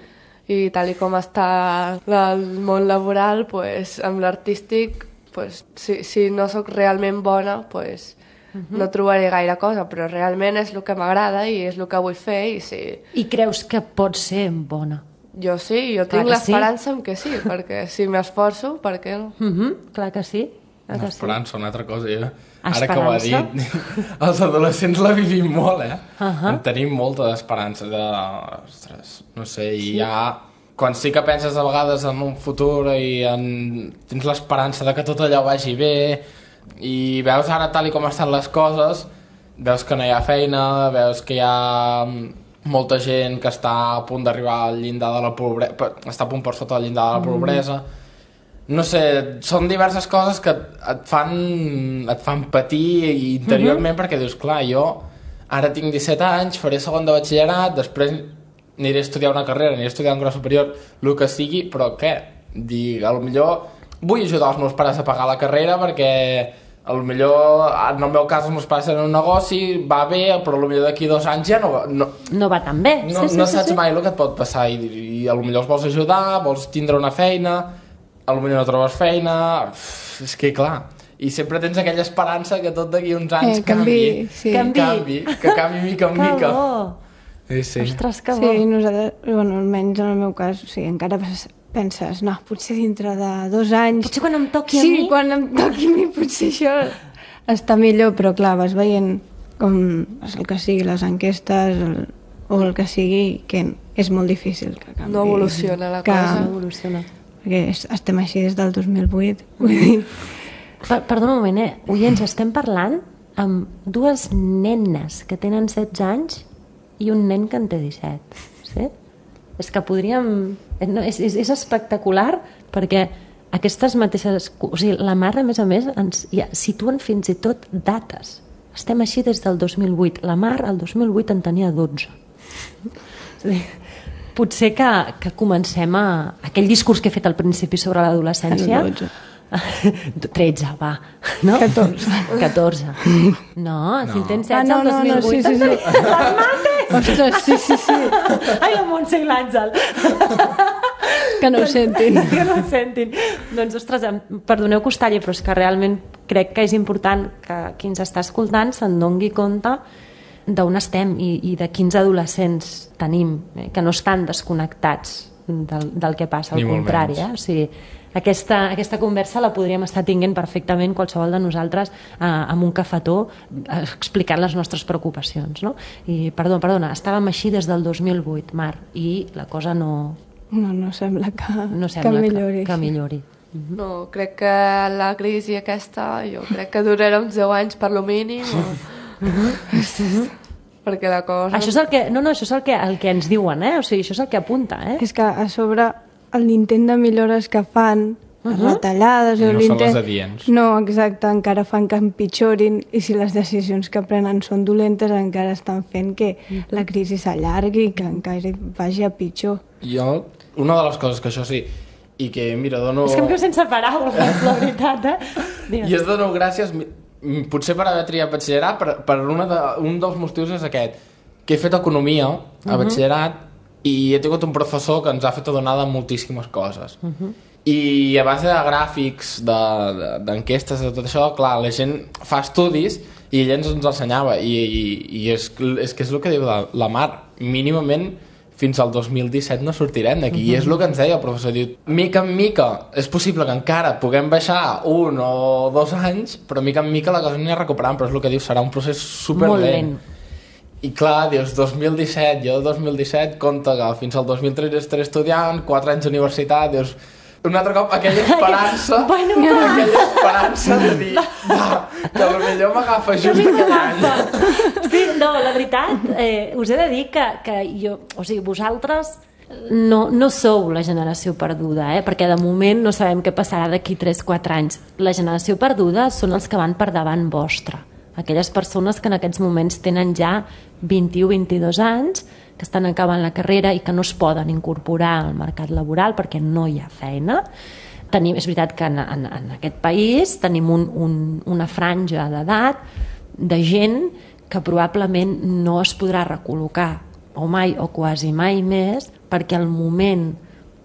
i tal i com està la, el món laboral, pues, amb l'artístic, pues, si, si no sóc realment bona, pues, uh -huh. no trobaré gaire cosa, però realment és el que m'agrada i és el que vull fer i sí. I creus que pot ser bona? Jo sí, jo Clar tinc que sí. l'esperança en que sí, perquè si m'esforço, per què no? Uh -huh. Clar que sí. Clar que sí. L'esperança, una altra cosa. Ja. Ara que ho ha dit, Esperança? els adolescents la vivim molt, eh? Uh -huh. En tenim molta d'esperança. De... Ostres, no sé, i ja... Quan sí que penses a vegades en un futur i en... tens l'esperança de que tot allò vagi bé i veus ara tal i com estan les coses, veus que no hi ha feina, veus que hi ha molta gent que està a punt d'arribar al llindar de la pobresa, està a punt per sota del llindar de la pobresa. Mm. No sé, són diverses coses que et fan, et fan patir interiorment, mm-hmm. perquè dius, clar, jo ara tinc disset anys, faré segon de batxillerat, després aniré a estudiar una carrera, aniré a estudiar un grau superior, el que sigui, però què? Dic, a lo millor vull ajudar els meus pares a pagar la carrera perquè a lo millor, en el meu cas, els meus pares tenen un negoci, va bé, però a lo millor d'aquí dos anys ja no va... No, No va tan bé. no, sí, sí, no sí, saps sí. mai el que et pot passar i, i a lo millor els vols ajudar, vols tindre una feina, a lo millor no trobes feina, uf, és que clar, i sempre tens aquella esperança que tot d'aquí uns anys Eh, canvi, canvi, sí. Canvi. canvi, que canvi mica en Que mica. bo. Sí, sí. Ostres, que bo. Sí, nosaltres, bueno, almenys en el meu cas, o sigui, encara penses, no, potser dintre de dos anys... Potser quan em toqui a sí, mi... quan em toqui a mi potser això està millor, però clar, vas veient com el que sigui, les enquestes el, o el que sigui, que és molt difícil que canvi. No evoluciona la que, cosa. No evoluciona. Perquè es- estem així des del dos mil vuit, vull dir... Per, perdona un moment, eh? Oients, estem parlant amb dues nenes que tenen setze anys i un nen que en té disset. Sí? És que podríem... No, és, és, és espectacular perquè aquestes mateixes... O sigui, la Mar, a més a més, ens ja, situen fins i tot dates. Estem així des del dos mil vuit. La Mar, el dos mil vuit, en tenia dotze. És a dir, potser que, que comencem a... Aquell discurs que he fet al principi sobre l'adolescència... dotze. tretze, va. No? catorze. catorze. No, si en tens setze, Ah, no, el dos mil no, no, vuit... sí, sí, sí. Les mates! Ostres, sí, sí, sí. Ai, la Montse i l'Àngel. Que no ho sentin. Que no ho sentin. Doncs, ostres, em- perdoneu que us talli, però és que realment crec que és important que qui ens està escoltant se'n doni compte d'on estem i, i de quins adolescents tenim, eh? Que no estan desconnectats del, del que passa, al Ni molt contrari. menys. Eh? O sigui, aquesta, aquesta conversa la podríem estar tinguent perfectament qualsevol de nosaltres eh, amb un cafetó eh, explicant les nostres preocupacions. No? I, perdó, perdona, estàvem així des del dos mil vuit, Mar, i la cosa no, No, no sembla que, no sembla que millori. Que, que millori. No, crec que la crisi aquesta, jo crec que durarà uns deu anys per lo mínim, o... perquè la cosa... Això és el que, no, no, això és el que, el que ens diuen, eh? O sigui, això és el que apunta, eh? És que a sobre l'intent de millores que fan, les retallades... I o no són l'intent- les adients. No, exacte, encara fan que empitjorin i si les decisions que prenen són dolentes encara estan fent que la crisi s'allargui i que encara vagi a pitjor. Jo, una de les coses que això sí, i que, mira, dono... És que em quedo sense paraules, la veritat, eh? Digues. I es dono gràcies, mi- m- potser per haver triat batxillerat, per, per una de, un dels motius és aquest, que he fet economia a batxillerat i he tingut un professor que ens ha fet adonar de moltíssimes coses. I a base de gràfics, de- de- d'enquestes, de, de tot això, clar, la gent fa estudis i ell ens els ensenyava i, i, i és, és que és el que diu la, la Mar, mínimament fins al dos mil disset no sortirem d'aquí. Uh -huh. I és el que ens deia el professor. Diu, mica en mica, és possible que encara puguem baixar un o dos anys, però mica en mica la cosa anirà recuperant, però és el que diu, serà un procés superlent. Molt lent. I clar, dius, dos mil disset, jo dos mil disset, compte que fins al dos mil tretze estaré estudiant, quatre anys d'universitat, dius, un altre cop aquella esperança, Bueno, aquella esperança de dir, va, que potser m'agafa just aquell any. Sí, no, la veritat, eh, us he de dir que, que jo, o sigui, vosaltres no, no sou la generació perduda, eh? Perquè de moment no sabem què passarà d'aquí tres quatre anys. La generació perduda són els que van per davant vostre. Aquelles persones que en aquests moments tenen ja vint-i-u vint-i-dos anys, que estan acabant la carrera i que no es poden incorporar al mercat laboral perquè no hi ha feina. Tenim, és veritat que en, en, en aquest país tenim un, un, una franja d'edat de gent que probablement no es podrà recol·locar o mai o quasi mai més, perquè el moment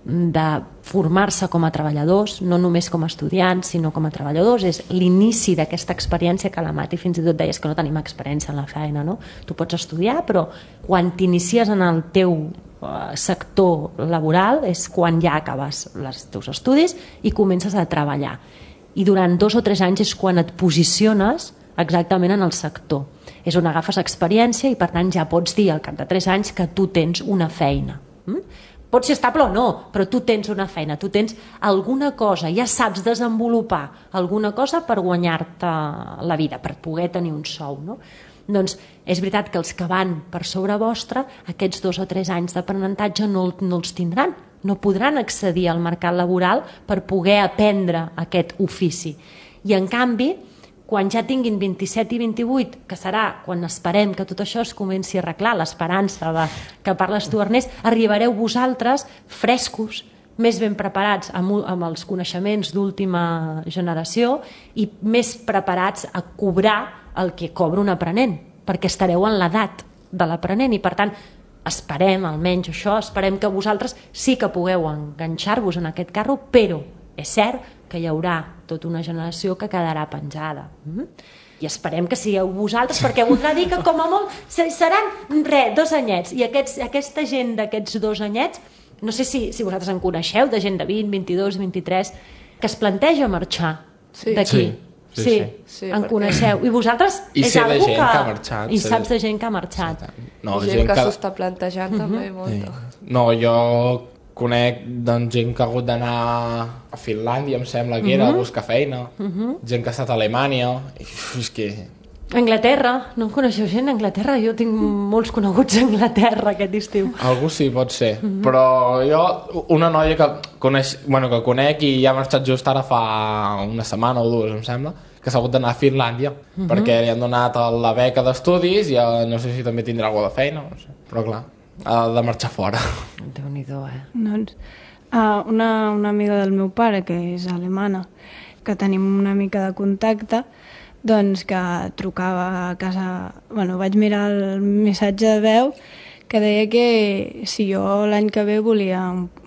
de formar-se com a treballadors, no només com a estudiants, sinó com a treballadors, és l'inici d'aquesta experiència que la Mati fins i tot deies que no tenim experiència en la feina, no? Tu pots estudiar, però quan t'inicies en el teu eh, sector laboral és quan ja acabes els teus estudis i comences a treballar. I durant dos o tres anys és quan et posiciones exactament en el sector. És on agafes experiència i per tant ja pots dir al cap de tres anys que tu tens una feina. Mm? Pot ser estable o no, però tu tens una feina, tu tens alguna cosa, ja saps desenvolupar alguna cosa per guanyar-te la vida, per poder tenir un sou, no? Doncs és veritat que els que van per sobre vostre, aquests dos o tres anys d'aprenentatge no, no els tindran, no podran accedir al mercat laboral per poder aprendre aquest ofici. I en canvi, quan ja tinguin vint-i-set i vint-i-vuit, que serà quan esperem que tot això es comenci a arreglar, l'esperança de, que parles tu, Ernest, arribareu vosaltres frescos, més ben preparats amb, amb els coneixements d'última generació i més preparats a cobrar el que cobra un aprenent, perquè estareu en l'edat de l'aprenent i per tant esperem, almenys això, esperem que vosaltres sí que pugueu enganxar-vos en aquest carro, però és cert que hi haurà tota una generació que quedarà penjada. Mm? I esperem que sigueu vosaltres, perquè voldrà dir que com a molt seran, res, dos anyets. I aquests, aquesta gent d'aquests dos anyets, no sé si, si vosaltres en coneixeu, de gent de vint, vint-i-dos, vint-i-tres, que es planteja marxar Sí. d'aquí. Sí, sí, sí. Sí, en perquè- coneixeu. I vosaltres I és sé de algú gent que... que ha marxat, I sé saps de- de gent que ha marxat. No, gent, gent que, que s'ho està plantejant uh -huh. també molta. No, jo conec doncs, gent que ha hagut d'anar a Finlàndia, em sembla que era, uh -huh. a buscar feina, uh -huh. gent que ha estat a Alemanya, i, uf, és que... Anglaterra, no en coneixeu gent a Anglaterra? Jo tinc molts coneguts a Anglaterra aquest estiu. Algú sí, pot ser, uh -huh. però jo, una noia que coneix, bueno, que conec i ja ha marxat just ara fa una setmana o dues, em sembla, que s'ha hagut d'anar a Finlàndia, uh-huh. perquè li han donat la beca d'estudis i uh, no sé si també tindrà alguna de feina, no sé. Però clar, ha de marxar fora. Déu-n'hi-do, eh? Doncs, uh, una, una amiga del meu pare, que és alemana, que tenim una mica de contacte, doncs que trucava a casa... Bueno, vaig mirar el missatge de veu que deia que si jo l'any que ve volia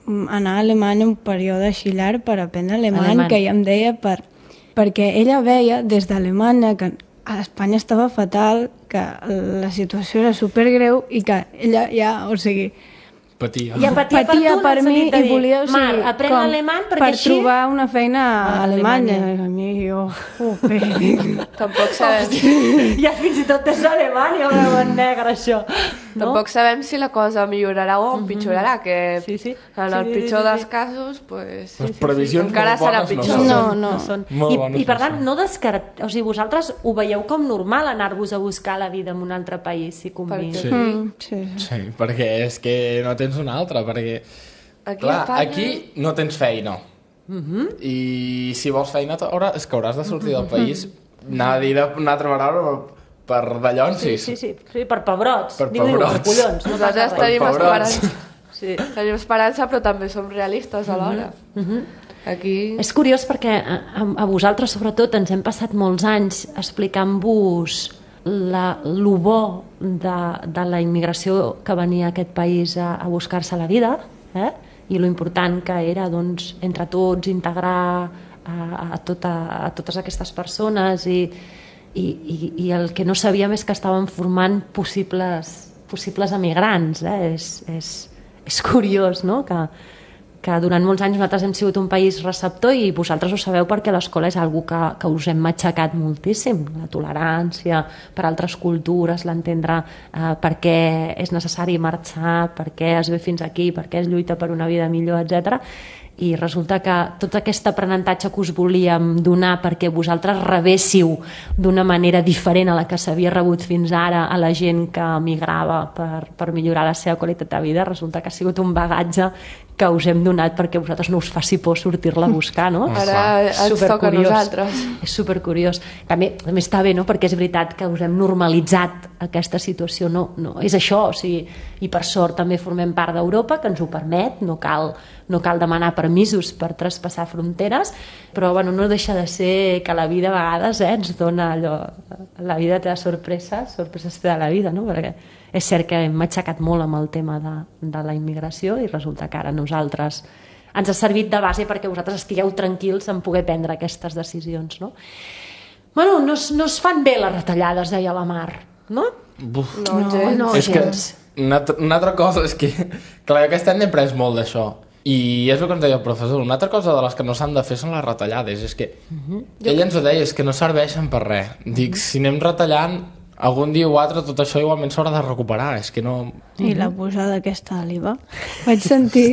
anar a Alemanya un període així llarg per aprendre alemany, alemany. Que ella em deia per, perquè ella veia des d'Alemanya que a Espanya estava fatal, que la situació era supergreu i que ella ja, o sigui... Patia. I patia, patia per, per mi i volia, o sigui, Mar, aprèn l'alemany perquè per així... trobar una feina a a Alemanya. Alemanya. A mi, jo... Upe. Tampoc sabem, Ja fins i tot és Alemanya, ho en negre, això. No? tampoc sabem si la cosa millorarà o empitjorarà, que Sí, sí. en el Sí, pitjor sí, sí. dels casos, pues, Les previsions encara molt serà bones no pitjor. són. No, no. no són. Molt I, bones I per no tant, són. no descart... O sigui, vosaltres ho veieu com normal anar-vos a buscar la vida en un altre país, si convé. Per Sí. Mm, sí, sí. Sí, perquè és que no tens una altra, perquè... Aquí Clar, a Espanya- aquí no tens feina. Uh-huh. I si vols feina, haurà, és que hauràs de sortir del país, anar a dir una altra vegada per Sí, dallonsis. sí, sí, sí, per pebrots. Per Diu-li, pebrots. per collons, no passa Nosaltres res. tenim pebrots. esperança. Sí. Tenim esperança, però també som realistes alhora. Aquí... És curiós perquè a, a, a vosaltres, sobretot, ens hem passat molts anys explicant-vos la, lo bo de, de la immigració que venia a aquest país a, a buscar-se la vida, eh? I lo important que era, doncs, entre tots, integrar a, a, tota, a totes aquestes persones i, i, i, i el que no sabíem és que estaven formant possibles, possibles emigrants. Eh? És, és, és curiós, no?, que, que durant molts anys nosaltres hem sigut un país receptor i vosaltres ho sabeu perquè l'escola és algo que, que us hem matxacat moltíssim, la tolerància per altres cultures, l'entendre eh, per què és necessari marxar, per què es ve fins aquí, per què es lluita per una vida millor, etcètera. I resulta que tot aquest aprenentatge que us volíem donar perquè vosaltres rebéssiu d'una manera diferent a la que s'havia rebut fins ara a la gent que migrava per, per millorar la seva qualitat de vida, resulta que ha sigut un bagatge que us hem donat perquè vosaltres no us faci por sortir-la a buscar, no? Ara ens toca a nosaltres. És supercuriós. També, també està bé, no?, perquè és veritat que us hem normalitzat aquesta situació. No, no, és això, o sigui, i per sort també formem part d'Europa, que ens ho permet, no cal, no cal demanar permisos per traspassar fronteres, però bueno, no deixa de ser que la vida a vegades eh, ens dona allò, la vida te da sorpreses, sorpreses te da la vida, no? Perquè és cert que hem matxacat molt amb el tema de, de la immigració i resulta que ara nosaltres ens ha servit de base perquè vosaltres estigueu tranquils en poder prendre aquestes decisions, no? Bueno, no es, no es fan bé les retallades, deia la Mar, no? Buf. No, gens. no, és que gens. una, altra- una altra cosa és que clar, aquest any n'he pres molt d'això i és el que ens deia el professor, una altra cosa de les que no s'han de fer són les retallades, és que uh-huh. ell ens ho deia, és que no serveixen per res, dic, si anem retallant algun dia o altre tot això igualment s'haurà de recuperar, és que no... I la posada aquesta de l'I V A. Vaig sentir...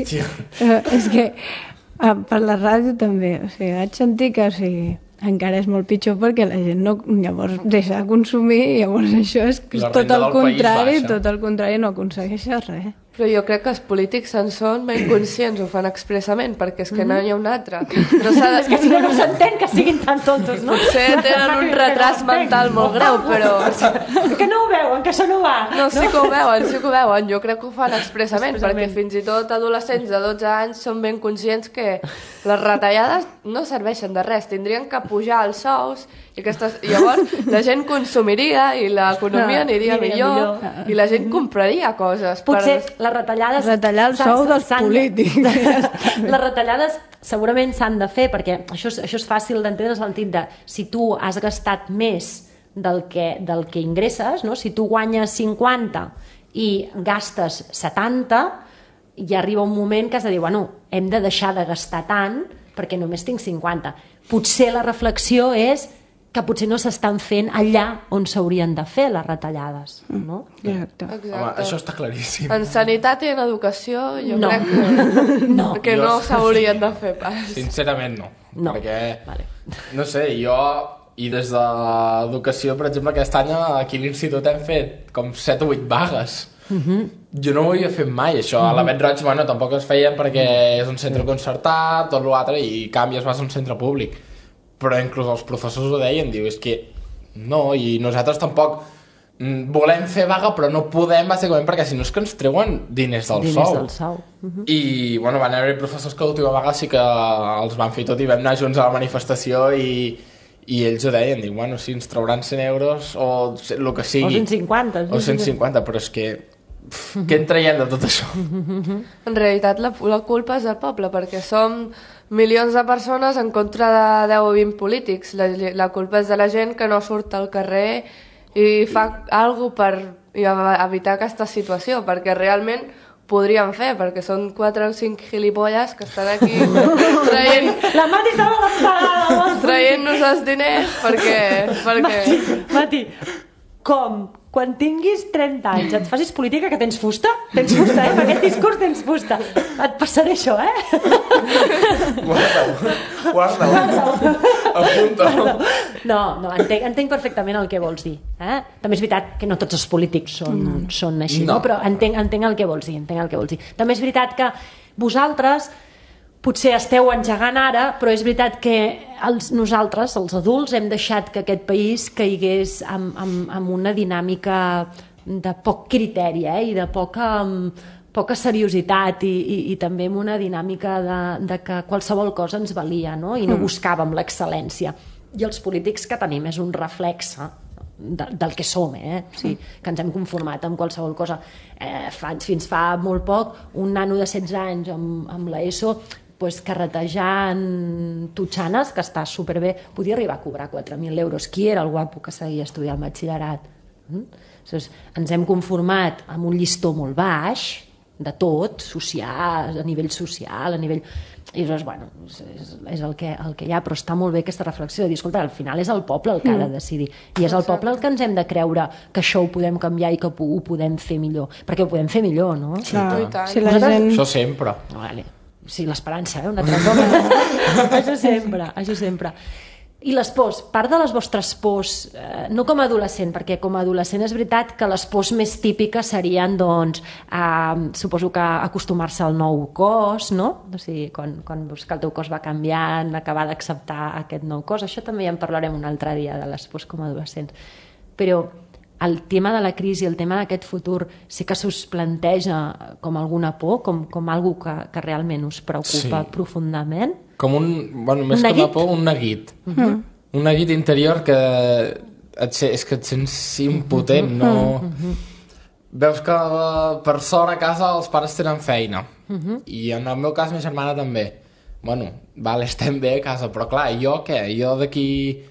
eh, és que eh, per la ràdio també, o sigui, vaig sentir que, o sigui, encara és molt pitjor perquè la gent no, llavors deixa de consumir i llavors això és, és La tot renda el del país contrari, baixa. tot el contrari, no aconsegueixes res. Però jo crec que els polítics en són ben conscients, ho fan expressament, perquè és que no hi ha un altre. No s'ha de... És que si no, no s'entén que siguin tan tontos, no? Potser tenen un retras mental molt greu, però... Que no ho veuen, que això no va. No, sí que ho veuen, sí que ho veuen. Jo crec que ho fan expressament, Expressament. perquè fins i tot adolescents de dotze anys són ben conscients que les retallades no serveixen de res. Tindrien que pujar els sous i aquestes... llavors la gent consumiria i l'economia aniria Aniria millor, millor. i la gent compraria coses. Potser per... les retallades... Retallar el s'han- sou dels s'han- polítics. Les retallades segurament s'han de fer, perquè això és, això és fàcil d'entendre en el sentit de si tu has gastat més del que, del que ingresses, no? Si tu guanyes cinquanta i gastes setanta, ja arriba un moment que has de dir, bueno, hem de deixar de gastar tant perquè només tinc cinquanta. Potser la reflexió és que potser no s'estan fent allà on s'haurien de fer les retallades, no? Exacte. Home, Exacte. això està claríssim. En sanitat i en educació jo No. crec que No. que Jo- no s'haurien de fer pas. Sincerament no. No. Perquè, Vale. no sé, jo... I des de l'educació, per exemple, aquest any aquí a l'institut hem fet com set o vuit vagues. Uh-huh. Jo no ho havia fet mai, això. Uh-huh. A la Bet Roig, bueno, tampoc es feien perquè és un centre concertat, tot l'altre, i canvies, vas a un centre públic. però inclús els professors ho deien, diu, és que no, i nosaltres tampoc volem fer vaga però no podem bàsicament perquè si no és que ens treuen diners del diners sou, del sou. Uh-huh. i bueno, van haver professors que l'última vaga sí que els van fer tot i vam anar junts a la manifestació i, i ells ho deien, diu, bueno, sí, ens trauran cent euros o el que sigui o cent cinquanta, o cent cinquanta, però és que pff, què en traiem de tot això? En realitat la, la culpa és del poble perquè som milions de persones en contra de deu o vint polítics. La, la culpa és de la gent que no surt al carrer i fa alguna cosa per evitar aquesta situació, perquè realment podríem fer, perquè són quatre o cinc gilipolles que estan aquí traient... La Mati estava l'emparada! Traient-nos els diners perquè... perquè... Mati, Mati, com? Quan tinguis trenta anys et facis política que tens fusta? Tens fusta, eh? Per aquest discurs tens fusta. Et passaré això, eh? Guarda-ho, guarda-ho, apunta-ho. No, no, entenc, entenc perfectament el que vols dir. Eh? També és veritat que no tots els polítics són, mm. són així, no. No? Però entenc, entenc el que vols dir, entenc el que vols dir. També és veritat que vosaltres potser esteu engegant ara, però és veritat que els, nosaltres, els adults, hem deixat que aquest país caigués amb, amb, amb una dinàmica de poc criteri, eh? I de poca, poca seriositat i, i, i també amb una dinàmica de, de que qualsevol cosa ens valia, no? I no buscàvem l'excel·lència. I els polítics que tenim és un reflexe de, del que som, eh? O sigui, que ens hem conformat amb qualsevol cosa. Eh, fa, fins fa molt poc, un nano de setze anys amb, amb l'ESO pues, carretejant tutxanes, que està superbé, podia arribar a cobrar quatre mil euros. Qui era el guapo que seguia estudiant batxillerat? Mm? Aleshores, ens hem conformat amb un llistó molt baix, de tot, social, a nivell social, a nivell... I llavors, bueno, és, és el, que, el que hi ha, però està molt bé aquesta reflexió de dir, escolta, al final és el poble el que ha de decidir, i és el poble el que ens hem de creure que això ho podem canviar i que ho podem fer millor, perquè ho podem fer millor, no? Sí, clar. Si la gent... Això sempre. Vale. Sí, l'esperança, eh? Una altra cosa. Això sempre, això sempre. I les pors, part de les vostres pors, eh, no com a adolescent, perquè com a adolescent és veritat que les pors més típiques serien, doncs, eh, suposo que acostumar-se al nou cos, no? O sigui, quan, quan veus que el teu cos va canviant, acabar d'acceptar aquest nou cos, això també ja en parlarem un altre dia de les pors com a adolescents. Però el tema de la crisi, el tema d'aquest futur, sí que s'us planteja com alguna por, com, com algo que, que realment us preocupa sí. profundament? Com un, bueno, més que una por, un neguit. Uh -huh. Un neguit interior que et, és que et sents impotent, no... Uh -huh. Veus que per sort a casa els pares tenen feina. Uh -huh. I en el meu cas, ma germana també. Bueno, vale, estem bé a casa, però clar, jo què? Jo d'aquí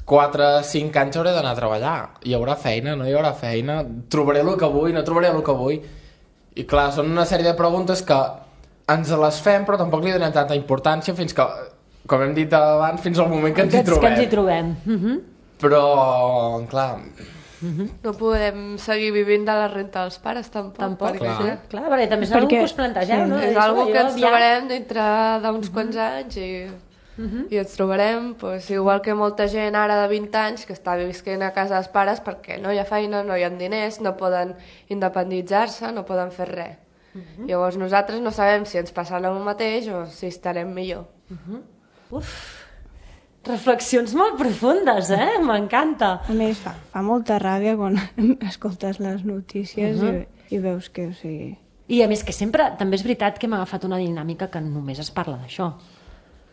quatre cinc anys hauré d'anar a treballar. Hi haurà feina, no hi haurà feina? Trobaré el que vull, no trobaré el que vull? I clar, són una sèrie de preguntes que ens les fem, però tampoc li donem tanta importància fins que, com hem dit abans, fins al moment que ens hi trobem. Que ens hi trobem. Uh -huh. Però, clar... Uh -huh. No podem seguir vivint de la renta dels pares, tampoc. Tampoc, perquè, clar. clar, perquè també és una cosa que us plantegeu, sí, no? És una cosa que ens ja... trobarem dintre d'uns uh -huh. quants anys i... Uh -huh. I ens trobarem, pues, igual que molta gent ara de vint anys que està visquent a casa dels pares perquè no hi ha feina, no hi ha diners, no poden independitzar-se, no poden fer res. Uh -huh. Llavors nosaltres no sabem si ens passarà el mateix o si estarem millor. Uh -huh. Uf, reflexions molt profundes, eh? M'encanta. A més, fa, fa molta ràbia quan escoltes les notícies uh -huh. i, i veus que, o sigui... I a més que sempre, també és veritat que hem agafat una dinàmica que només es parla d'això.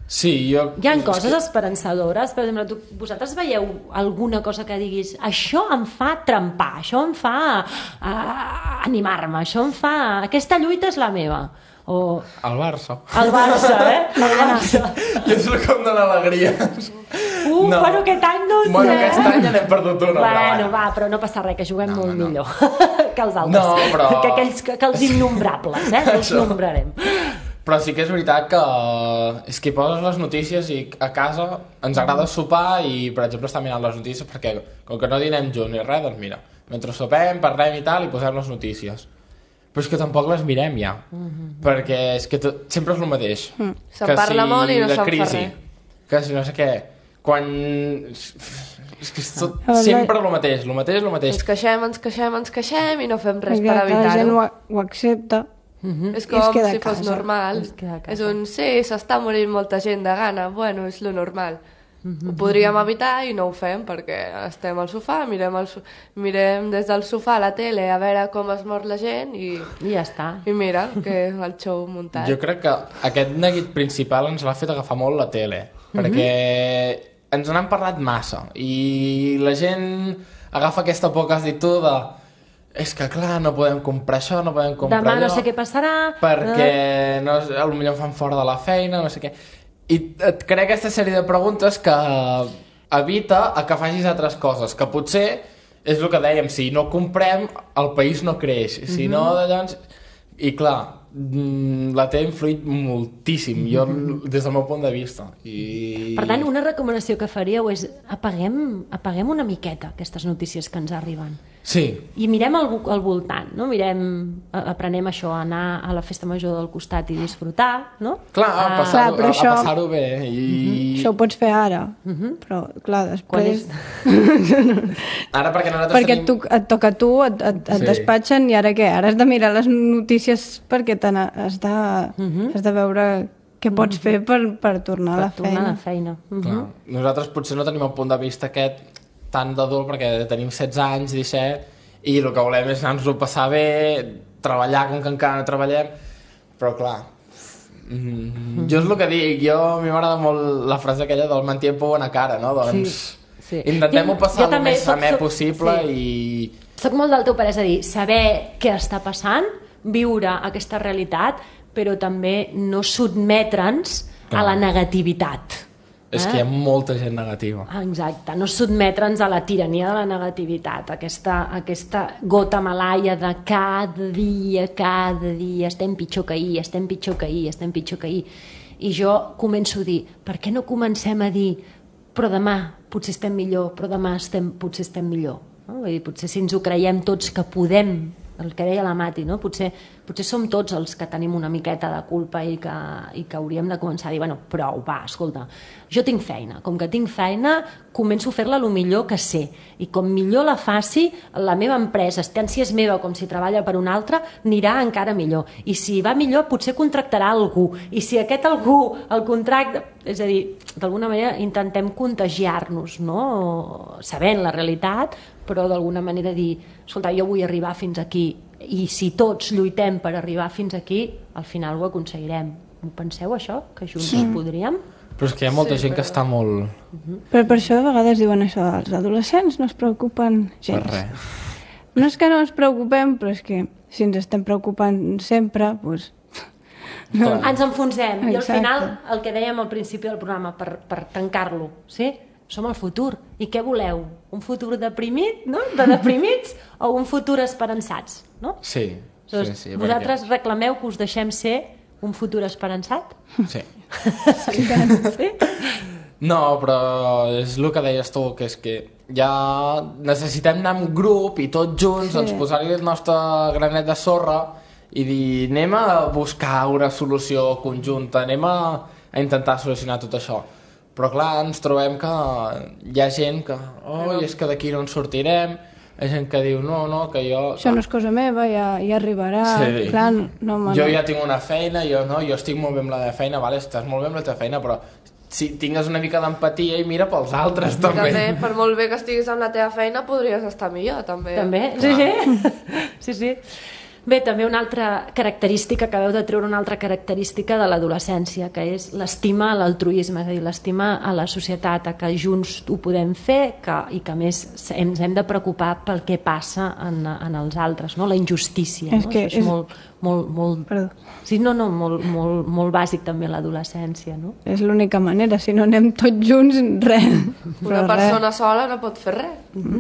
Sí, jo... Hi ha coses esperançadores, per exemple, tu, vosaltres veieu alguna cosa que diguis això em fa trempar, això em fa uh, animar-me, això em fa... Aquesta lluita és la meva. O... El Barça. El Barça, eh? El Barça. Jo és com de l'alegria. Uh, no. Bueno, aquest any no sé. Bueno, aquest any ja n'hem perdut una. Bueno, va, però no passa res, que juguem no, molt no. millor que els altres. No, però... Que, aquells, que, que els innombrables, eh? Els nombrarem. Però sí que és veritat que és que poses les notícies i a casa ens agrada sopar i, per exemple, estar mirant les notícies perquè, com que no dinem junts ni res, doncs mira, mentre sopem, parlem i tal, i posem les notícies. Però és que tampoc les mirem ja, mm-hmm. perquè és que tot, sempre és el mateix. Mm. Se parla si molt i no se'n fa res. Que si no sé què, quan... És que és tot, sempre el mateix, el mateix, el mateix. Ens queixem, ens queixem, ens queixem i no fem res Exacte, per evitar-ho. La gent ho, ho accepta. Uh-huh. És com si fos normal. És un sí, s'està morint molta gent de gana, bueno, és lo normal. ho podríem evitar i no ho fem perquè estem al sofà, mirem, el, mirem des del sofà a la tele a veure com es mor la gent i, I ja està. I mira, que és el show muntat. Jo crec que aquest neguit principal ens l'ha fet agafar molt la tele, mm-hmm. perquè ens n'han parlat massa i la gent agafa aquesta por que has dit tu de és que clar, no podem comprar això, no podem comprar Demà allò, no sé què passarà perquè no, potser em fan fora de la feina, no sé què, i et crea aquesta sèrie de preguntes que evita a que facis altres coses, que potser és el que dèiem, si no comprem el país no creix, si mm-hmm. no llavors... i clar, la té influït moltíssim, jo des del meu punt de vista. I... Per tant, una recomanació que faríeu és apaguem, apaguem una miqueta aquestes notícies que ens arriben. Sí. I mirem al, al voltant, no? Mirem, aprenem això, a anar a la festa major del costat i disfrutar, no? Clar, a Ah, passar-ho clar, però això- passar bé. I... Mm-hmm. Això ho pots fer ara, però clar, Quan després... és... Ara perquè nosaltres Perquè tenim... et, tu, et toca a tu, et, et, et Sí. despatxen i ara què? Ara has de mirar les notícies perquè te n'ha- has, de, has de veure què pots fer per, per tornar a la per tornar a feina. la feina. Mhm. Clar. Nosaltres potser no tenim el punt de vista aquest tan d'adult perquè tenim setze anys, disset, i el que volem és anar-nos-ho passar bé, treballar com que encara no treballem, però clar, mm, jo és el que dic, jo a mi m'agrada molt la frase aquella del mantiempo por buena cara, no? Doncs sí. intentem-ho Jo- passar jo el també més soc- amè soc- possible sí. i... Soc molt del teu parer, és a dir, saber què està passant, viure aquesta realitat, però també no sotmetre'ns a la negativitat. És que hi ha molta gent negativa. Ah, exacte, no sotmetre'ns a la tirania de la negativitat, aquesta, aquesta gota malaia de cada dia, cada dia, estem pitjor que ahir, estem pitjor que ahir, estem pitjor que ahir. I jo començo a dir, per què no comencem a dir, però demà potser estem millor, però demà estem, potser estem millor. No? Vull dir, potser si ens ho creiem tots que podem, el que deia la Mati, no? potser, potser som tots els que tenim una miqueta de culpa i que, i que hauríem de començar a dir, bueno, prou, va, escolta, jo tinc feina, com que tinc feina, començo a fer-la el millor que sé, i com millor la faci, la meva empresa, tant si és meva com si treballa per una altra, anirà encara millor, i si va millor potser contractarà algú, i si aquest algú el contracta, és a dir, d'alguna manera intentem contagiar-nos, no? Sabent la realitat, però d'alguna manera dir, escolta, jo vull arribar fins aquí, i si tots lluitem per arribar fins aquí, al final ho aconseguirem. Ho penseu, això? Que junts sí. podríem? Però és que hi ha molta sí, gent però... que està molt... Però per això de vegades diuen això, els adolescents no es preocupen gens. Per res. No és que no ens preocupem, però és que si ens estem preocupant sempre, doncs... No. Ens enfonsem. I al Exacte. final, el que dèiem al principi del programa, per, per tancar-lo, sí? Som el futur. I què voleu? Un futur deprimit, no? De deprimits? O un futur esperançats, no? Sí, Doncs sí, sí. vosaltres perquè... reclameu que us deixem ser un futur esperançat? Sí. Sí? sí? No, però és el que deies tu, que és que ja necessitem anar en grup i tots junts, Sí. doncs posar-hi el nostre granet de sorra i dir, anem a buscar una solució conjunta, anem a, a intentar solucionar tot això. Però clar, ens trobem que hi ha gent que, oh, és que d'aquí no en sortirem, hi ha gent que diu, no, no, que jo... Això no és cosa meva, ja, ja arribarà. Sí. Clar, no, home, Jo no. ja tinc una feina, jo no, jo estic molt bé amb la meva feina, vale, estàs molt bé amb la teva feina, però si tingues una mica d'empatia i mira pels altres també. També, per molt bé que estiguis amb la teva feina, podries estar millor, també. També? Sí, sí, sí. Bé, també una altra característica, acabeu de treure una altra característica de l'adolescència, que és l'estima a l'altruisme, és a dir, l'estima a la societat, a que junts ho podem fer que, i que a més ens hem de preocupar pel que passa en, en els altres, no? La injustícia. És no? que Això és, és- molt, molt, molt... Perdó. Sí, no, no, molt, molt, molt bàsic també a l'adolescència, no? És l'única manera, si no anem tots junts, res. Una Però persona sola no pot fer res.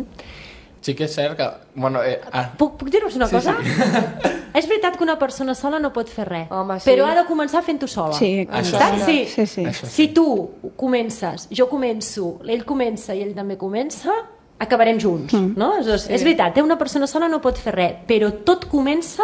Sí que és cert que... Bueno, eh, ah, Puc, puc dir-vos una Sí, cosa? sí. És veritat que una persona sola no pot fer res, Home, sí. però ha de començar fent-ho sola. Sí, Això Saps? Sí. sí, sí. Això Si tu comences, jo començo, ell comença i ell també comença, acabarem junts, Mm. no? És, és veritat, eh? Una persona sola no pot fer res, però tot comença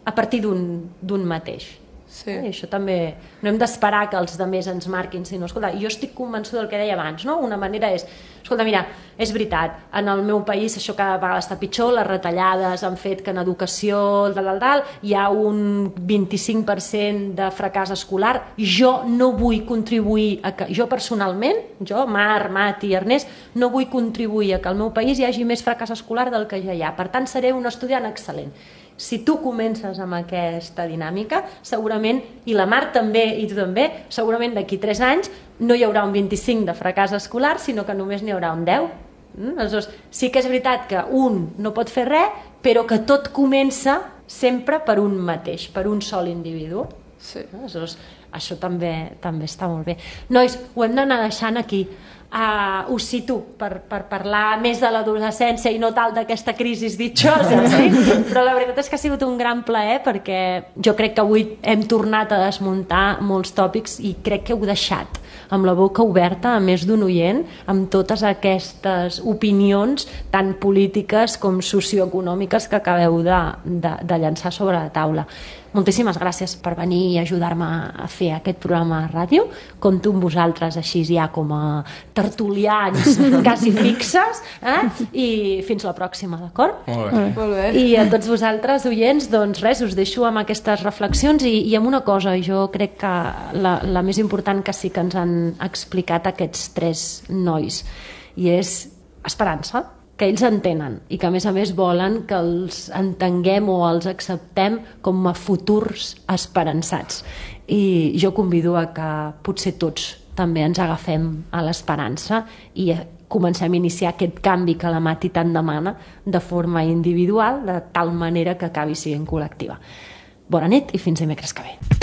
a partir d'un d'un mateix. Sí. I això també, no hem d'esperar que els altres ens marquin, sinó, escolta, jo estic convençuda del que deia abans, no? Una manera és, Escolta, mira, és veritat, en el meu país això cada vegada està pitjor, les retallades han fet que en educació tal, tal, tal, hi ha un vint-i-cinc per cent de fracàs escolar. Jo no vull contribuir a que, jo personalment, jo, Mar, Mati, Ernest, no vull contribuir a que al meu país hi hagi més fracàs escolar del que ja hi ha. Per tant, seré un estudiant excel·lent. Si tu comences amb aquesta dinàmica, segurament, i la Mar també, i tu també, segurament d'aquí tres anys no hi haurà un vint-i-cinc de fracàs escolar, sinó que només n'hi haurà un deu. Mm? Aleshores, sí que és veritat que un no pot fer res, però que tot comença sempre per un mateix, per un sol individu. Sí. Aleshores, això també, també està molt bé. Nois, ho hem d'anar deixant aquí. Uh, us cito per, per parlar més de l'adolescència i no tal d'aquesta crisi ditxosa, sí? Però la veritat és que ha sigut un gran plaer perquè jo crec que avui hem tornat a desmuntar molts tòpics i crec que heu deixat amb la boca oberta a més d'un oient amb totes aquestes opinions tan polítiques com socioeconòmiques que acabeu de, de, de llançar sobre la taula. Moltíssimes gràcies per venir i ajudar-me a fer aquest programa de ràdio. Compto amb vosaltres així ja com a tertulians quasi fixes, eh? I fins la pròxima, d'acord? Molt bé. Molt bé. I a tots vosaltres, oients, doncs res, us deixo amb aquestes reflexions i, i amb una cosa, jo crec que la, la més important que sí que ens han explicat aquests tres nois, i és esperança, que ells entenen i que a més a més volen que els entenguem o els acceptem com a futurs esperançats. I jo convido a que potser tots també ens agafem a l'esperança i comencem a iniciar aquest canvi que la Mati tant demana de forma individual, de tal manera que acabi sent col·lectiva. Bona nit i fins dimecres que ve.